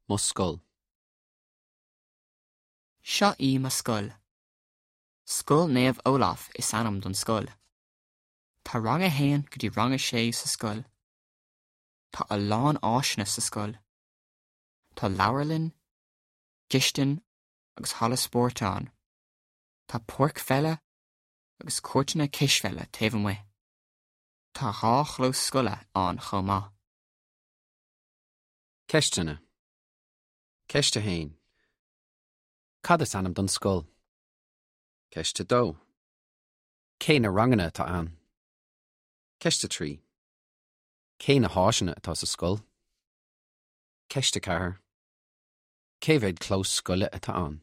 Mo scoil. Seo í mo scoil. Scoil Naomh Olaf is ainm don scoil. Tá rang a haon go dtí rang a sé sa scoil. Tá a lán áiseanna sa scoil. Tá leabharlann, cistin agus halla spóirt ann. Tá páirc pheile agus cúirteanna cispheile taobh amuigh. Tá dha chlós scoile ann chomh maith. Ceisteanna. Ceist 1. Cad is ainm don scoil? Ceist 2. Cé na ranganna atá ann? Ceist 3. Cé na háiseanna atá sa scoil? Ceist 4. Cé mhéad clós scoile atá ann?